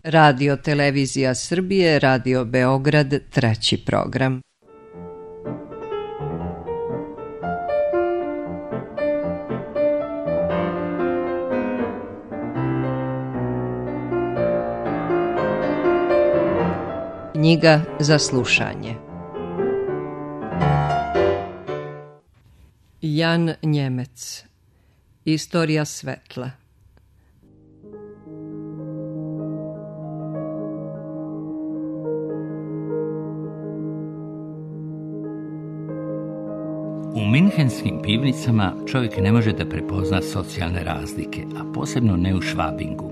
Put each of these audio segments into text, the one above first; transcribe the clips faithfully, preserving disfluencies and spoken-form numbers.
Radio Televizija Srbije, Radio Beograd, treći program. Knjiga za slušanje. Jan Njemec. Istorija svetla. U minhenskim pivnicama čovjek ne može da prepozna socijalne razlike, a posebno ne u Švabingu.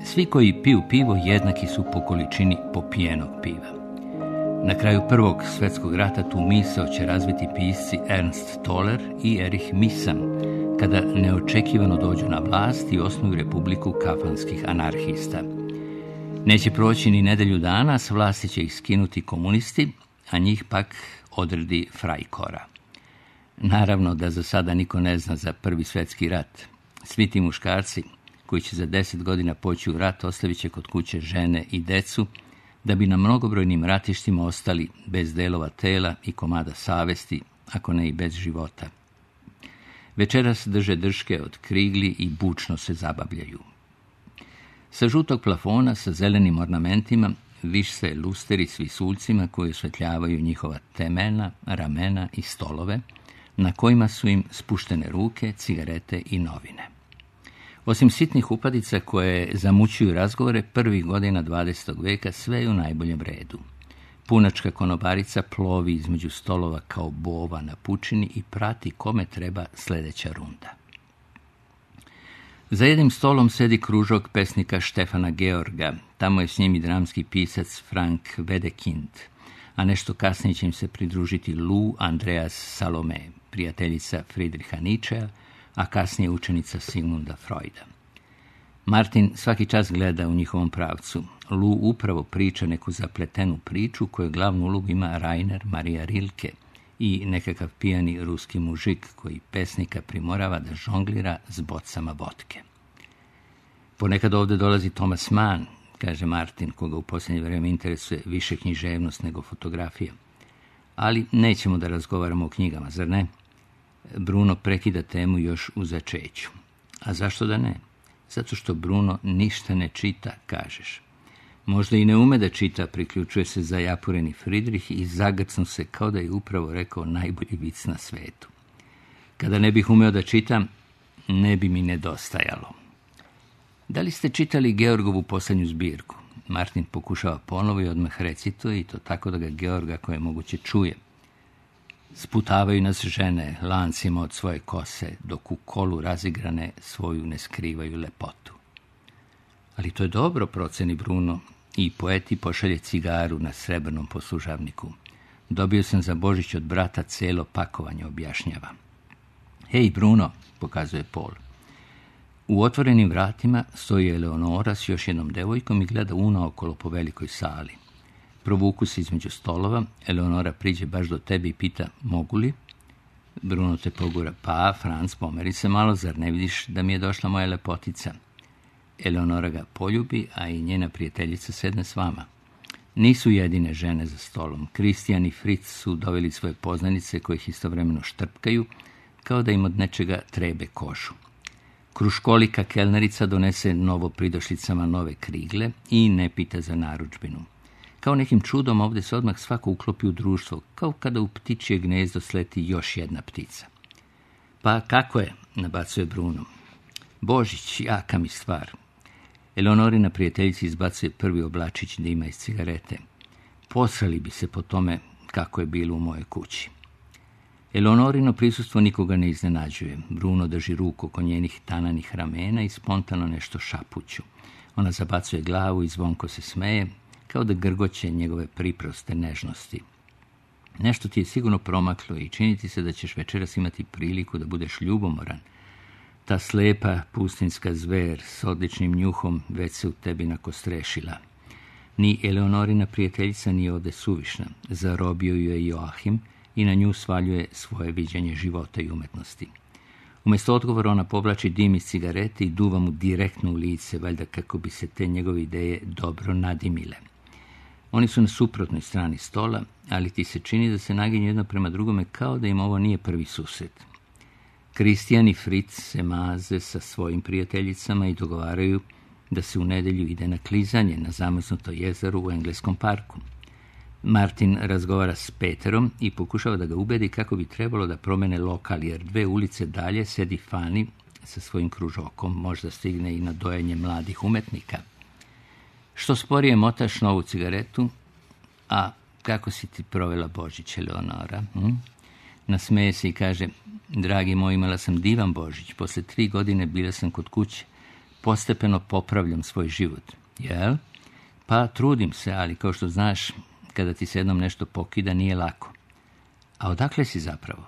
Svi koji piju pivo jednaki su po količini popijenog piva. Na kraju Prvog svjetskog rata tu misao će razviti pisci Ernst Toller i Erich Misam, kada neočekivano dođu na vlast i osnuju republiku kafanskih anarhista. Neće proći ni nedelju dana, s vlasti će ih skinuti komunisti, a njih pak odredi Freikorps. Naravno da za sada niko ne zna za Prvi svjetski rat. Svi ti muškarci koji će za deset godina poći u rat ostavit će kod kuće žene i decu, da bi na mnogobrojnim ratištima ostali bez delova tela i komada savesti, ako ne i bez života. Večeras drže drške od krigli i bučno se zabavljaju. Sa žutog plafona sa zelenim ornamentima vise lusteri s visuljcima koji osvetljavaju njihova temena, ramena i stolove, na kojima su im spuštene ruke, cigarete i novine. Osim sitnih upadica koje zamućuju razgovore, prvih godina dvadesetog veka sve je u najboljem redu. Punačka konobarica plovi između stolova kao bova na pučini i prati kome treba sljedeća runda. Za jednim stolom sedi kružok pesnika Štefana Georga, tamo je s njim i dramski pisac Frank Wedekind, a nešto kasnije će im se pridružiti Lou Andreas Salome, prijateljica Friedricha Nietzschea, a kasnije učenica Sigmunda Freuda. Martin svaki čas gleda u njihovom pravcu. Lou upravo priča neku zapletenu priču koju glavnu ulogu ima Rainer Maria Rilke i nekakav pijani ruski mužik koji pesnika primorava da žonglira s bocama vodke. Ponekad ovdje dolazi Thomas Mann, kaže Martin, koga u posljednje vrijeme interesuje više književnost nego fotografija. Ali nećemo da razgovaramo o knjigama, zar ne? Bruno prekida temu još u začeću. A zašto da ne? Zato što Bruno ništa ne čita, kažeš. Možda i ne ume da čita, priključuje se zajapureni Friedrich i zagrcnu se kao da je upravo rekao najbolji vic na svetu. Kada ne bih umeo da čitam, ne bi mi nedostajalo. Da li ste čitali Georgovu posljednju zbirku? Martin pokušava ponovo i odmah recituje i to tako da ga Georg, ako je moguće, čuje. Sputavaju nas žene lancima od svoje kose, dok u kolu razigrane svoju ne skrivaju lepotu. Ali to je dobro, proceni Bruno, i poeti pošalje cigaru na srebrnom poslužavniku. Dobio sam za Božić od brata celo pakovanje, objašnjava. Hej, Bruno, pokazuje Paul. U otvorenim vratima stoji Eleonora s još jednom devojkom i gleda unaokolo po velikoj sali. Provuku se između stolova, Eleonora priđe baš do tebe i pita, mogu li? Bruno te pogura, pa, Franc, pomeri se malo, zar ne vidiš da mi je došla moja lepotica? Eleonora ga poljubi, a i njena prijateljica sedne s vama. Nisu jedine žene za stolom. Kristijan i Fritz su doveli svoje poznanice koje ih istovremeno štrpkaju, kao da im od nečega trebe kožu. Kruškolika kelnerica donese novo pridošlicama nove krigle i ne pita za narudžbinu. Kao nekim čudom ovdje se odmah svako uklopi u društvo, kao kada u ptičje gnezdo sleti još jedna ptica. Pa kako je, nabacuje Bruno. Božić, jaka mi stvar. Eleonorina prijateljica izbacuje prvi oblačić dima iz cigarete. Posrali bi se po tome kako je bilo u mojoj kući. Eleonorino prisustvo nikoga ne iznenađuje. Bruno drži ruku oko njenih tananih ramena i spontano nešto šapuću. Ona zabacuje glavu i zvonko se smeje, kao da grgoće njegove priproste nežnosti. Nešto ti je sigurno promaklo i čini ti se da ćeš večeras imati priliku da budeš ljubomoran. Ta slepa pustinska zver s odličnim njuhom već se u tebi nakostrešila. Ni Eleonorina prijateljica nije ovde suvišna. Zarobio ju je Joachim i na nju svaljuje svoje viđenje života i umetnosti. Umjesto odgovora ona povlači dim iz cigarete i duva mu direktno u lice, valjda kako bi se te njegove ideje dobro nadimile. Oni su na suprotnoj strani stola, ali ti se čini da se naginju jedno prema drugome kao da im ovo nije prvi susret. Kristijan i Fritz se maze sa svojim prijateljicama i dogovaraju da se u nedjelju ide na klizanje na zamrznuto jezero u engleskom parku. Martin razgovara s Peterom i pokušava da ga ubedi kako bi trebalo da promene lokal, jer dve ulice dalje sedi Fani sa svojim kružokom, možda stigne i na dojenje mladih umetnika. Što sporije motaš novu cigaretu, a kako si ti provela Božić, Eleonora? Hm? Nasmeje se i kaže, dragi moj, imala sam divan Božić, posle tri godine bila sam kod kuće, postepeno popravljam svoj život. Jel? Pa trudim se, ali kao što znaš, kada ti se jednom nešto pokida, nije lako. A odakle si zapravo?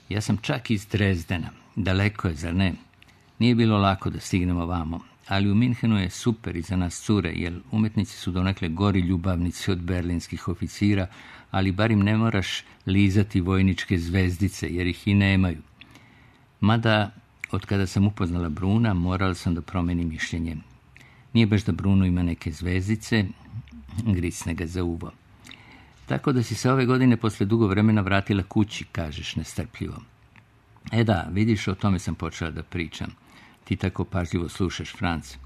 Ja sam čak iz Drezdena. Daleko je, zar ne? Nije bilo lako da stignemo vamo, ali u Minhenu je super i za nas cure, jer umetnici su donekle gori ljubavnici od berlinskih oficira, ali bar im ne moraš lizati vojničke zvezdice, jer ih i nemaju. Mada, od kada sam upoznala Bruna, morala sam da promenim mišljenje. Nije baš da Bruno ima neke zvezdice, gricne ga za uvo. Tako da si se ove godine posle dugo vremena vratila kući, kažeš nestrpljivo. E da, vidiš, o tome sam počela da pričam. Ti tako pažljivo slušaš, Franc.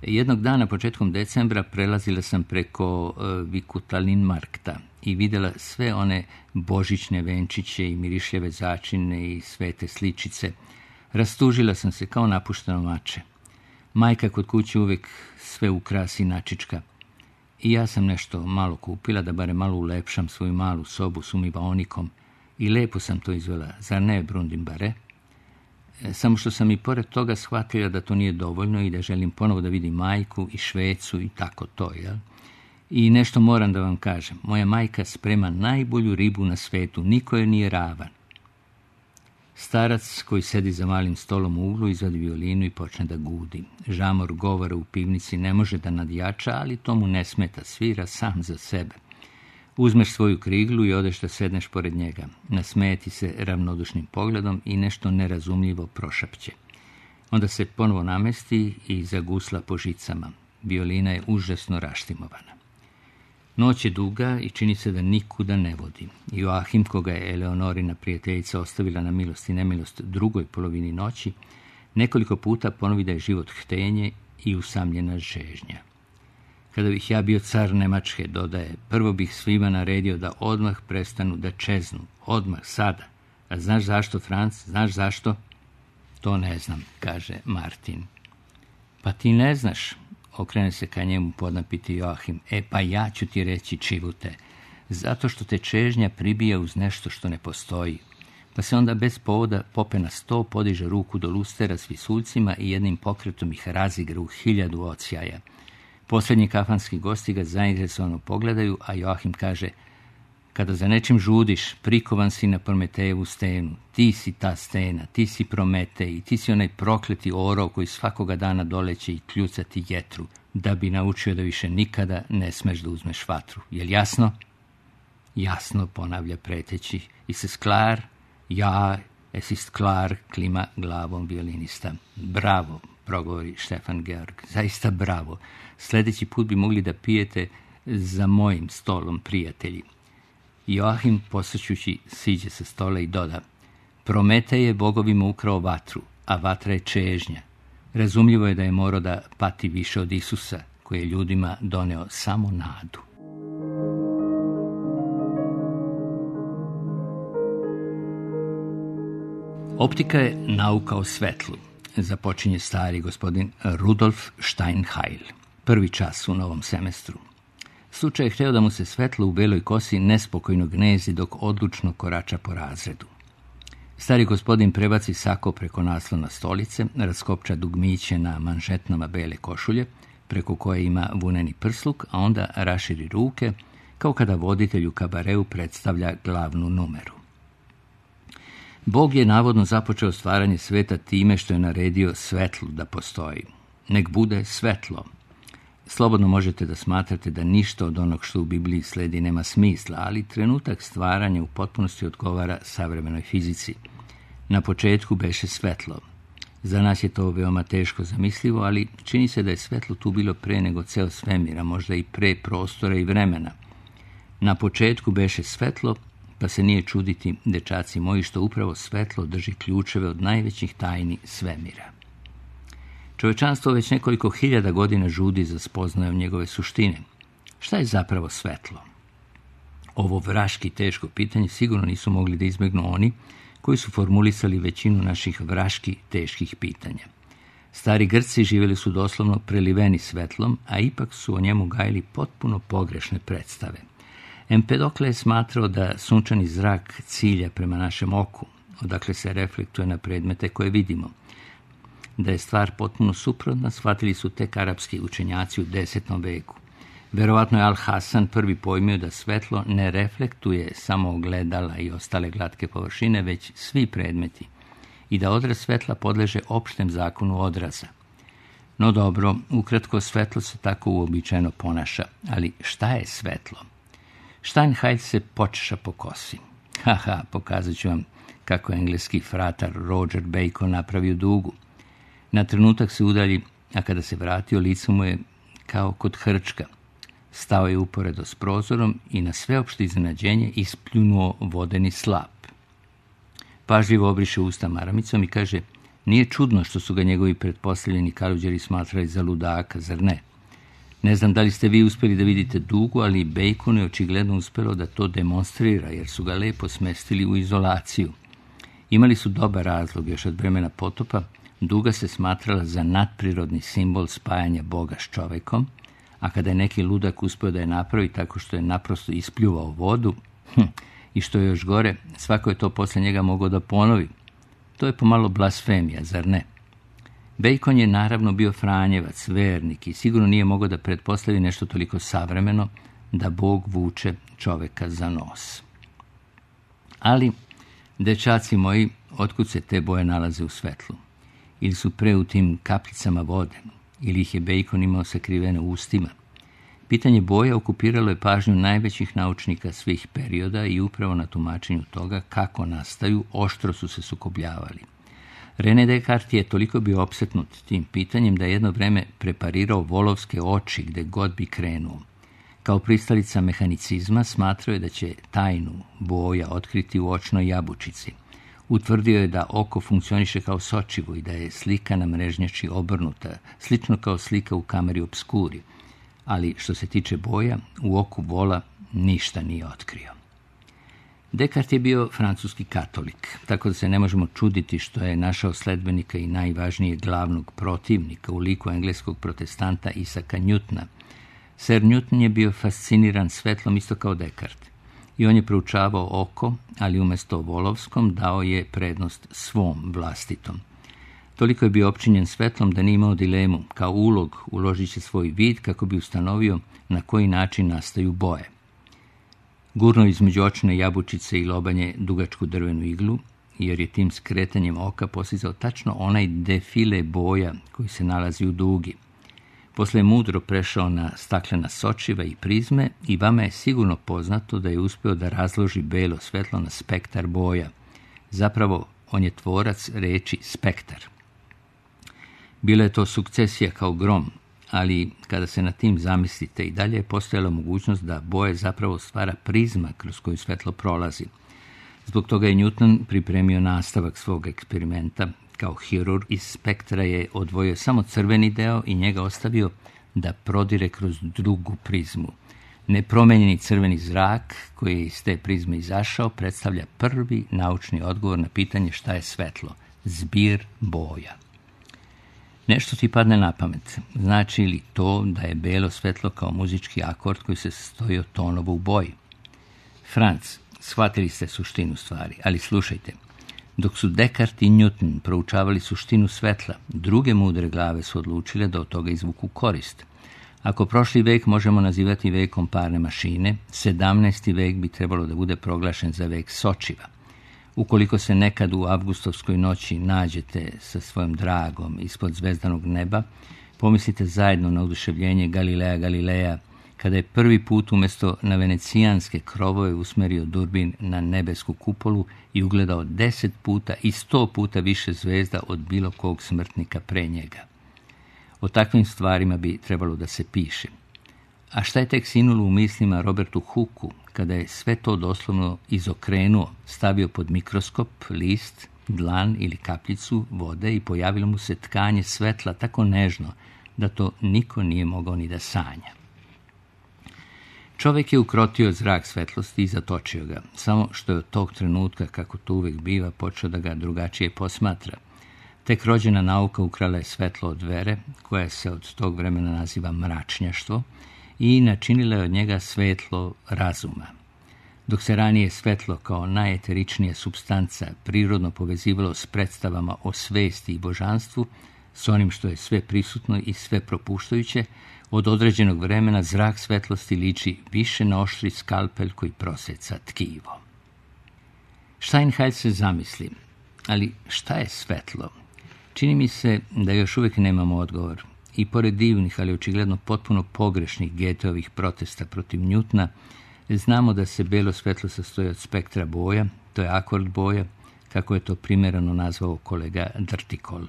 Jednog dana, početkom decembra, prelazila sam preko uh, Vikutalin-markta i vidjela sve one božićne venčiće i mirišljave začine i svete sličice. Rastužila sam se kao napušteno mače. Majka kod kuće uvijek sve ukrasi načička. I ja sam nešto malo kupila, da bare malo ulepšam svoju malu sobu s umivaonikom i lepo sam to izvela, zar ne, Brundimbare? E, samo što sam i pored toga shvatila da to nije dovoljno i da želim ponovo da vidim majku i Švecu i tako to, jel? I nešto moram da vam kažem, moja majka sprema najbolju ribu na svetu, niko je nije ravan. Starac koji sedi za malim stolom u uglu izvadi violinu i počne da gudi. Žamor govora u pivnici ne može da nadjača, ali to mu ne smeta, svira sam za sebe. Uzmeš svoju kriglu i odeš da sedneš pored njega. Nasmeje ti se ravnodušnim pogledom i nešto nerazumljivo prošapće. Onda se ponovo namesti i zagusla po žicama. Violina je užasno raštimovana. Noć je duga i čini se da nikuda ne vodi. Joachim, koga je Eleonorina prijateljica ostavila na milost i nemilost drugoj polovini noći, nekoliko puta ponovi da je život htenje i usamljena žežnja. Kada bih ja bio car Nemačke, dodaje, prvo bih svima naredio da odmah prestanu da čeznu. Odmah, sada. A znaš zašto, Franc? Znaš zašto? To ne znam, kaže Martin. Pa ti ne znaš, okrene se ka njemu podnapiti Joachim. E pa ja ću ti reći, čivute, zato što te čežnja pribija uz nešto što ne postoji. Pa se onda bez povoda pope na sto, podiže ruku do lustera s visuljcima i jednim pokretom ih razigra u hiljadu odsjaja. Posljednji kafanski gosti ga zainteresovano pogledaju, a Joachim kaže, kada za nečim žudiš, prikovan si na Prometejevu stenu. Ti si ta stena, ti si Prometej, ti si onaj prokleti orao koji svakoga dana doleće i kljucati jetru, da bi naučio da više nikada ne smeš da uzmeš vatru. Jel jasno? Jasno, ponavlja preteći. I se sklar, ja, esi sklar, klima glavom violinista. Bravo, progovori Stefan Georg. Zaista bravo. Sljedeći put bi mogli da pijete za mojim stolom, prijatelji. Joachim, posrćući, siđe sa stola i doda, Prometej je bogovima ukrao vatru, a vatra je čežnja. Razumljivo je da je morao da pati više od Isusa, koji je ljudima doneo samo nadu. Optika je nauka o svetlu, započinje stari gospodin Rudolf Steinheil. Prvi čas u novom semestru. Slučaj je hteo da mu se svetlo u beloj kosi nespokojno gnezi dok odlučno korača po razredu. Stari gospodin prebaci sako preko naslona stolice, raskopča dugmiće na manžetnama bele košulje, preko koje ima vuneni prsluk, a onda raširi ruke, kao kada voditelj u kabareu predstavlja glavnu numeru. Bog je navodno započeo stvaranje sveta time što je naredio svetlu da postoji. Nek bude svetlo. Slobodno možete da smatrate da ništa od onog što u Bibliji sledi nema smisla, ali trenutak stvaranja u potpunosti odgovara savremenoj fizici. Na početku beše svetlo. Za nas je to veoma teško zamislivo, ali čini se da je svetlo tu bilo pre nego ceo svemir, a možda i pre prostora i vremena. Na početku beše svetlo, pa se nije čuditi, dečaci moji, što upravo svetlo drži ključeve od najvećih tajni svemira. Čovečanstvo već nekoliko hiljada godina žudi za spoznajom njegove suštine. Šta je zapravo svetlo? Ovo vraški teško pitanje sigurno nisu mogli da izbegnu oni koji su formulisali većinu naših vraški teških pitanja. Stari Grci živjeli su doslovno preliveni svetlom, a ipak su o njemu gajili potpuno pogrešne predstave. Empedokle je smatrao da sunčani zrak cilja prema našem oku, odakle se reflektuje na predmete koje vidimo. Da je stvar potpuno suprotna, shvatili su tek arapski učenjaci u desetom veku. Verovatno je Al-Hasan prvi pojmio da svetlo ne reflektuje samo ogledala i ostale glatke površine, već svi predmeti, i da odraz svetla podleže opštem zakonu odraza. No dobro, ukratko, svetlo se tako uobičajeno ponaša, ali šta je svetlo? Steinheil se počeša po kosi. Haha, pokazat ću vam kako je engleski fratar Roger Bacon napravio dugu. Na trenutak se udalji, a kada se vratio, lice mu je kao kod hrčka. Stao je uporedo s prozorom i na sveopšte iznenađenje ispljunuo vodeni slap. Pažljivo obriše usta maramicom i kaže, nije čudno što su ga njegovi pretpostavljeni kaluđeri smatrali za ludaka, zar ne? Ne znam da li ste vi uspjeli da vidite dugu, ali Baconu je očigledno uspjelo da to demonstrira, jer su ga lepo smestili u izolaciju. Imali su dobar razlog još od vremena potopa. Duga se smatrala za nadprirodni simbol spajanja Boga s čovekom, a kada je neki ludak uspio da je napravi tako što je naprosto ispljuvao vodu, hm, i što je još gore, svako je to posle njega mogao da ponovi. To je pomalo blasfemija, zar ne? Bacon je naravno bio franjevac, vernik i sigurno nije mogao da pretpostavi nešto toliko savremeno, da Bog vuče čoveka za nos. Ali, dečaci moji, otkud se te boje nalaze u svetlu? Ili su pre u tim kapljicama vode, ili ih je Bacon imao sakrivene u ustima. Pitanje boja okupiralo je pažnju najvećih naučnika svih perioda i upravo na tumačenju toga kako nastaju oštro su se sukobljavali. René Descartes je toliko bio opsetnut tim pitanjem da je jedno vreme preparirao volovske oči gde god bi krenuo. Kao pristalica mehanicizma smatrao je da će tajnu boja otkriti u očnoj jabučici. Utvrdio je da oko funkcioniše kao sočivo i da je slika na mrežnjači obrnuta, slično kao slika u kameri obskuri. Ali što se tiče boja, u oku vola ništa nije otkrio. Descartes je bio francuski katolik, tako da se ne možemo čuditi što je našao sledbenika i najvažnijeg glavnog protivnika u liku engleskog protestanta Isaaca Newtona. Sir Newton je bio fasciniran svetlom isto kao Descartes. I on je proučavao oko, ali umjesto volovskom dao je prednost svom vlastitom. Toliko je bio opčinjen svetlom da nije imao dilemu. Kao ulog uložit će svoj vid kako bi ustanovio na koji način nastaju boje. Gurno između očne jabučice i lobanje dugačku drvenu iglu, jer je tim skretanjem oka postizao tačno onaj defile boja koji se nalazi u dugi. Posle je mudro prešao na staklena sočiva i prizme i vama je sigurno poznato da je uspeo da razloži belo svetlo na spektar boja. Zapravo, on je tvorac reči spektar. Bila je to sukcesija kao grom, ali kada se na tim zamislite i dalje je postojala mogućnost da boje zapravo stvara prizma kroz koju svetlo prolazi. Zbog toga je Newton pripremio nastavak svog eksperimenta. Kao hirurg iz spektra je odvojio samo crveni deo i njega ostavio da prodire kroz drugu prizmu. Nepromenjeni crveni zrak koji je iz te prizme izašao predstavlja prvi naučni odgovor na pitanje šta je svetlo. Zbir boja. Nešto ti padne na pamet. Znači li to da je belo svetlo kao muzički akord koji se sastoji od tonova u boji? Franc, shvatili ste suštinu stvari, ali slušajte. Dok su Descartes i Newton proučavali suštinu svetla, druge mudre glave su odlučile da od toga izvuku korist. Ako prošli vek možemo nazivati vekom parne mašine, sedamnaesti vek bi trebalo da bude proglašen za vek sočiva. Ukoliko se nekad u avgustovskoj noći nađete sa svojom dragom ispod zvezdanog neba, pomislite zajedno na oduševljenje Galileja Galileja, kada je prvi put umjesto na venecijanske krovove usmerio durbin na nebesku kupolu i ugledao deset puta i sto puta više zvezda od bilo kog smrtnika pre njega. O takvim stvarima bi trebalo da se piše. A šta je tek sinulo u mislima Robertu Hooku, kada je sve to doslovno izokrenuo, stavio pod mikroskop list, dlan ili kapljicu vode i pojavilo mu se tkanje svetla tako nežno da to niko nije mogao ni da sanja. Čovjek je ukrotio zrak svetlosti i zatočio ga, samo što je od tog trenutka, kako to uvek biva, počeo da ga drugačije posmatra. Tek rođena nauka ukrala je svetlo od vere, koja se od tog vremena naziva mračnjaštvo, i načinila je od njega svetlo razuma. Dok se ranije svetlo kao najeteričnija supstanca prirodno povezivalo s predstavama o svesti i božanstvu, s onim što je sve prisutno i sve propuštajuće, od određenog vremena zrak svetlosti liči više na oštri skalpel koji proseca tkivo. Steinheil se zamisli, ali šta je svetlo? Čini mi se da još uvijek nemamo odgovor. I pored divnih, ali očigledno potpuno pogrešnih Goetheovih protesta protiv Newtona, znamo da se belo svetlo sastoji od spektra boja, to je akord boja, kako je to primjereno nazvao kolega Drtikol.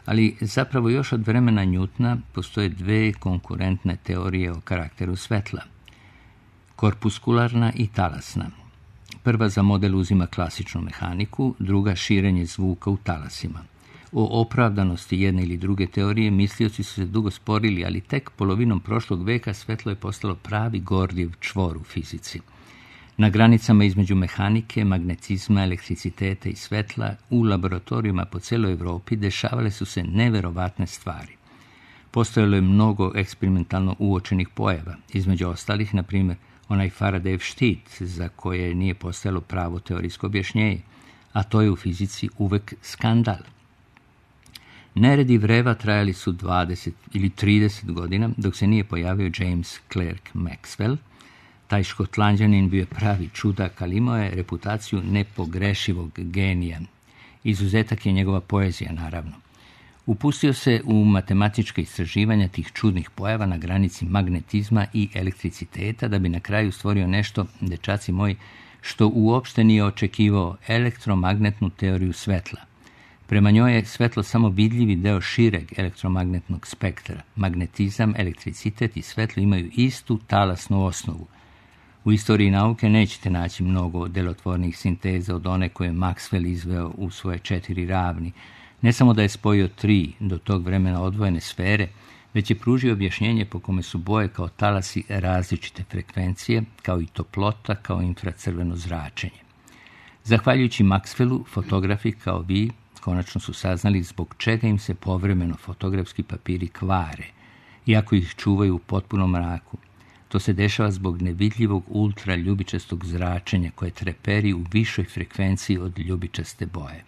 Ali zapravo još od vremena Newtona postoje dve konkurentne teorije o karakteru svetla. Korpuskularna i talasna. Prva za model uzima klasičnu mehaniku, druga širenje zvuka u talasima. O opravdanosti jedne ili druge teorije mislioci su se dugo sporili, ali tek polovinom prošlog veka svetlo je postalo pravi Gordijev čvor u fizici. Na granicama između mehanike, magnetizma, elektriciteta i svetla u laboratorijima po celoj Evropi dešavale su se neverovatne stvari. Postojalo je mnogo eksperimentalno uočenih pojava, između ostalih, na primjer, onaj Faradayev štit, za koje nije postojalo pravo teorijsko objašnjenje, a to je u fizici uvek skandal. Neredi vreva trajali su dvadeset ili trideset godina, dok se nije pojavio James Clerk Maxwell. Taj Škotlanđanin bio pravi čudak, ali imao je reputaciju nepogrešivog genija. Izuzetak je njegova poezija, naravno. Upustio se u matematička istraživanja tih čudnih pojava na granici magnetizma i elektriciteta, da bi na kraju stvorio nešto, dečaci moji, što uopšte nije očekivao, elektromagnetnu teoriju svetla. Prema njoj je svetlo samo vidljivi deo šireg elektromagnetnog spektra. Magnetizam, elektricitet i svetlo imaju istu talasnu osnovu. U istoriji nauke nećete naći mnogo delotvornih sinteza od one koje je Maxwell izveo u svoje četiri ravni. Ne samo da je spojio tri do tog vremena odvojene sfere, već je pružio objašnjenje po kome su boje kao talasi različite frekvencije, kao i toplota, kao infracrveno zračenje. Zahvaljujući Maxwellu, fotografi kao vi konačno su saznali zbog čega im se povremeno fotografski papiri kvare, iako ih čuvaju u potpunom mraku. To se dešava zbog nevidljivog ultraljubičastog zračenja koje treperi u višoj frekvenciji od ljubičaste boje.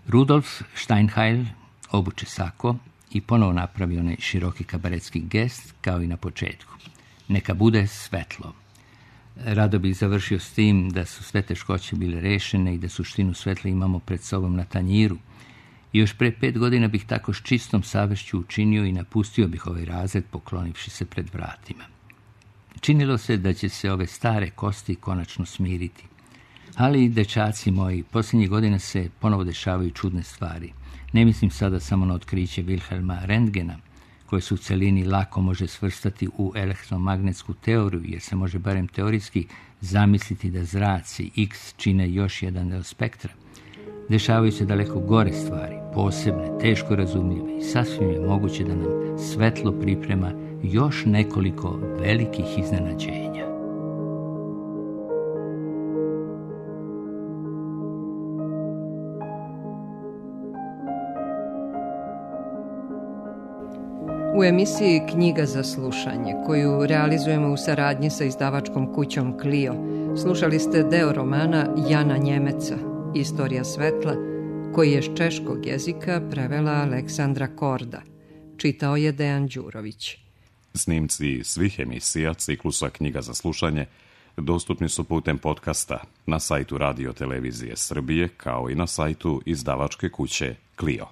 Rudolf Steinheil obuče sako i ponovo napravi onaj široki kabaretski gest kao i na početku. Neka bude svetlo. Rado bih završio s tim da su sve teškoće bile rešene i da suštinu svetla imamo pred sobom na tanjiru. I još pre pet godina bih tako s čistom savešću učinio i napustio bih ovaj razred poklonivši se pred vratima. Činilo se da će se ove stare kosti konačno smiriti. Ali, dečaci moji, posljednjih godina se ponovo dešavaju čudne stvari. Ne mislim sada samo na otkriće Wilhelma Röntgena, koje se u celini lako može svrstati u elektromagnetsku teoriju, jer se može barem teorijski zamisliti da zraci X čine još jedan deo spektra. Dešavaju se daleko gore stvari, posebne, teško razumljive i sasvim je moguće da nam svetlo priprema još nekoliko velikih iznenađenja. U emisiji Knjiga za slušanje, koju realizujemo u saradnji sa izdavačkom kućom Clio, slušali ste deo romana Jana Njemeca, Istorija svetla, koji je s češkog jezika prevela Aleksandra Korda. Čitao je Dejan Đurović. Snimci svih emisija ciklusa Knjiga za slušanje dostupni su putem podcasta na sajtu Radio Televizije Srbije, kao i na sajtu izdavačke kuće Clio.